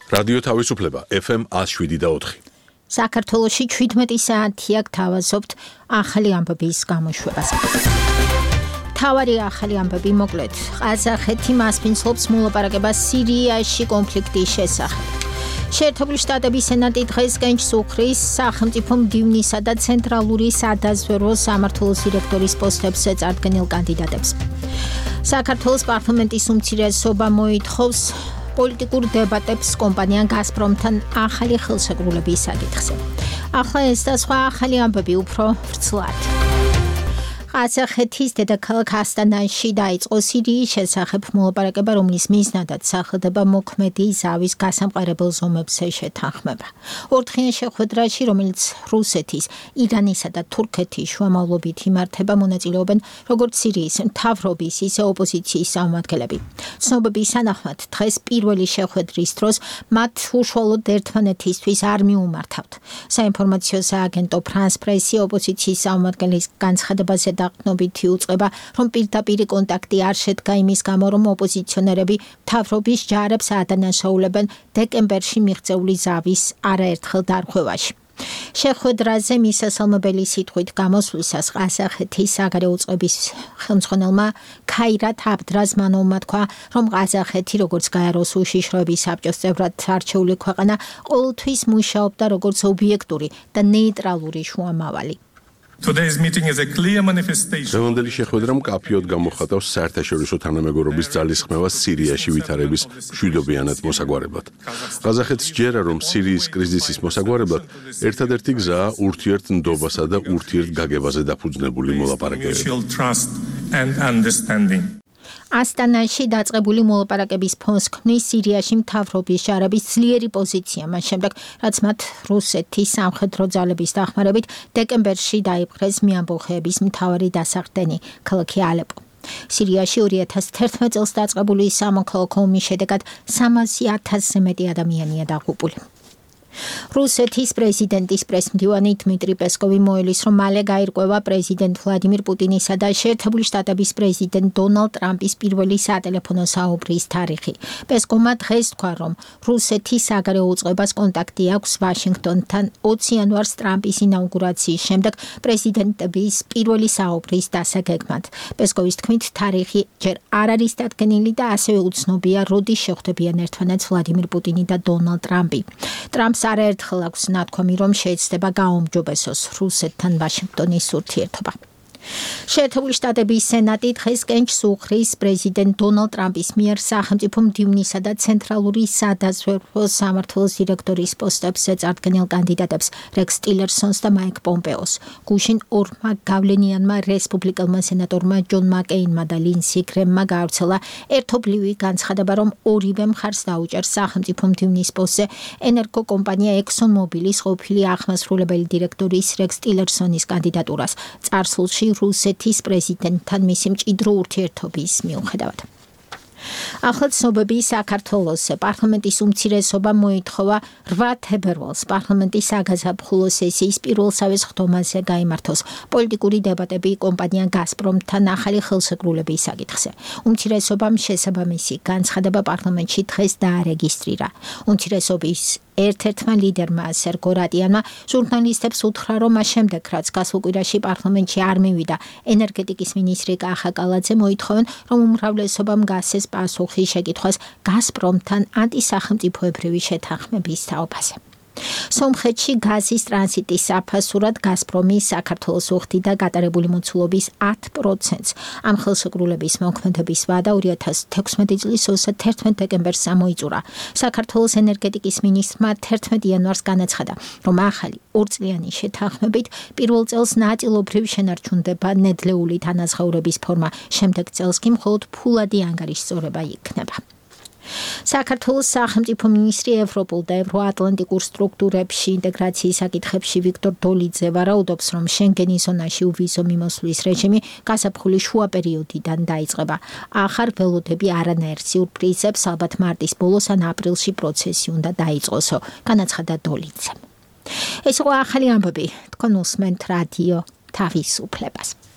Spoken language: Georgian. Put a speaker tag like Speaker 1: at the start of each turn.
Speaker 1: რადიო თავისუფლება FM 107.4.
Speaker 2: საქართველოში 17 საათია გთავაზობთ ახალი ამბების გამოშვებას. თავარი ახალი ამბები მოკლედ. ყაზახეთი მასპინძლობს მოლაპარაკებას სირიაში კონფლიქტის შესახებ. შეერთებული შტატების სენატი დღეს კენჭს უხრის სახელმწიფო მდივნისა და ცენტრალური სადაზვერვო სამმართველოს დირექტორის პოსტებზე წარდგენილ კანდიდატებს. საქართველოს პარლამენტის უმცირესობა მოითხოვს პოლიტიკურ დებატებს კომპანია გაზპრომთან ახალი ხელშეკრულების საკითხზე. ახლა ეს და სხვა ახალი ამბები უფრო ვრცლად. ყაზახეთის დედაქალაქ ასტანაში დაიწყო სირიის შესახებ მოლაპარაკება, რომლის მიზნადაც სახელდება მოქმედი ზავის გასამყარებელ ზომებზე შეთანხმება. ორდღიან შეხვედრაში, რომელიც რუსეთის, ირანისა და თურქეთის შუამავლობით იმართება, მონაწილეობენ როგორც სირიის მთავრობის, ისე ოპოზიციის წარმომადგენლები. ცნობების თანახმად, დღეს პირველი შეხვედრის დროს მათ უშუალოდ ერთმანეთისთვის არ მიუმართავთ. საინფორმაციო სააგენტო ფრანს პრესი ოპოზიციის წარმომადგენლის განცხადებაზე დაყრდნობითი უწყება, რომ პირდაპირ კონტაქტი არ შედგა იმის გამო, რომ ოპოზიციონერები მთავრობის ჯარებს აადანაშაულებენ დეკემბერში მიღწეული ზავის არაერთხელ დარღვევაში. შეხვედრაზე მისასალმებელი სიტყვით გამოსვლისას ყაზახეთის საგარეო წყობის ხელმძღვანელმა ქაირათ აბდრაზმანოვმა თქვა, რომ ყაზახეთი როგორც გაეროს უშიშროების საბჭოს წევრად არჩეული ქვეყანა ყოველთვის მუშაობდა როგორც ობიექტური და ნეიტრალური შუამავალი.
Speaker 1: დღევანდელი შეხვედრა მკაფიოდ გამოხატავს საერთაშორისო თანამეგობრობის ძალისხმევას სირიაში ვითარების მშვიდობიანად მოსაგვარებლად. ყაზახეთს ჯერა, რომ სირიის კრიზისის მოსაგვარებლად ერთადერთი გზაა ურთიერთნდობასა და ურთიერთგაგებაზე დაფუძნებული მოლაპარაკებები.
Speaker 2: ასტანაში დაწყებული მოლაპარაკების ფონს ქმნის სირიაში მთავრობის ჯარების ძლიერი პოზიცია, მას შემდეგ, რაც მათ რუსეთის სამხედრო ძალების დახმარებით დეკემბერში დაიპყრეს მიამბოხეების მთავარი დასახდენი, ქალაქი ალეპო. სირიაში 2011 წელს დაწყებული სამოქალაქო ომის შედეგად 300,000-ზე მეტი ადამიანია დაღუპული. რუსეთის პრეზიდენტის პრესმდივანი დმიტრი პესკოვი მოელის, რომ მალე გაირკვევა პრეზიდენტ ვლადიმირ პუტინისა და შეერთებული შტატების პრეზიდენტ დონალდ ტრამპის პირველი სატელეფონო საუბრის თარიღი. პესკოვმა დღეს თქვა, რომ რუსეთის საგარეო უწყებას კონტაქტი აქვს ვაშინგტონთან 20 იანვარს ტრამპის ინაუგურაციის შემდეგ პრეზიდენტების პირველი საუბრის დასაგეგმად. პესკოვის თქმით, თარიღი ჯერ არ არის დადგენილი და ასევე უცნობია, როდის შეხვდებიან ერთმანეთს ვლადიმირ პუტინი და დონალდ ტრამპი. ტრამპს არაერთხელ აქვს ნათქვამი, რომ შეეცდება გააუმჯობესოს რუსეთთან ვაშინგტონის ურთიერთობა. შეერთებული შტატების სენატი დღეს კენჭს უხრის პრეზიდენტ დონალდ ტრამპის მიერ სახელმწიფო მდივნისა და ცენტრალური სადაზვერვო სამმართველოს დირექტორის პოსტებზე წარდგენილ კანდიდატებს რექს ტილერსონს და მაიკ პომპეოს. გუშინ ორმა გავლენიანმა რესპუბლიკელმა სენატორმა ჯონ მაკეინმა და ლინსი გრემმა გაავრცელა ერთობლივი განცხადება, რომ ორივე მხარს დაუჭერს სახელმწიფო მდივნის პოსტზე ენერგოკომპანია ექსონ მობილის ყოფილი აღმასრულებელი დირექტორის რექს ტილერსონის კანდიდატურას. წარსულში რუსეთის პრეზიდენტთან მისი მჭიდრო ურთიერთობის მიუხედავად. ახლა ცნობები საქართველოსზე. პარლამენტის უმცირესობა მოითხოვა 8 თებერვალს პარლამენტის საგაზაფხულო სესიის პირველსავე სხდომაზე გაიმართოს პოლიტიკური დებატები კომპანია გაზპრომთან ახალი ხელშეკრულების საკითხზე. უმცირესობამ შესაბამისი განცხადება პარლამენტში დღეს დაარეგისტრირა. უმცირესობის ერთ-ერთმა ლიდერმა სერგო რატიანმა ჟურნალისტებს უთხრა, რომ მას შემდეგ, რაც გასულ კვირაში პარლამენტში არ მივიდა ენერგეტიკის მინისტრი კახა კალაძე, მოითხოვენ, რომ უმრავლესობამ გასცეს პასუხი შეკითხვას გაზპრომთან ანტისახელმწიფოებრივი შეთანხმების თაობაზე. სომხეთში გაზის ტრანზიტის საფასურად გაზპრომი საქართველოს უხდიდა გატარებული მოცულობის 10%-ს. ამ ხელშეკრულების მოქმედების ვადა 2016 წლის 31 დეკემბერს გამოიწურა. საქართველოს ენერგეტიკის მინისტრმა 11 იანვარს განაცხადა, რომ ახალი ორწლიანი შეთანხმებით პირველ წელს ნაწილობრივ შენარჩუნდება ნედლეული თანაზღაურების ფორმა, შემდეგ წელს კი მხოლოდ ფულადი ანგარიშწორება იქნება. საქართველოს სახელმწიფო მინისტრი ევროპულ და ევროატლანტიკურ სტრუქტურებში ინტეგრაციის საკითხებში ვიქტორ დოლიძე ვარაუდობს, რომ შენგენის ზონაში უვიზო მიმოსვლის რეჟიმი გაზაფხულის შუა პერიოდიდან დაიწყება. ახალ ველოდები არანაირ სიურპრიზებს ალბათ მარტის ბოლოს ან აპრილში პროცესი უნდა დაიწყოსო, განაცხადა დოლიძემ. ეს იყო ახალი ამბები, თქვენ უსმენთ რადიო თავისუფლებას.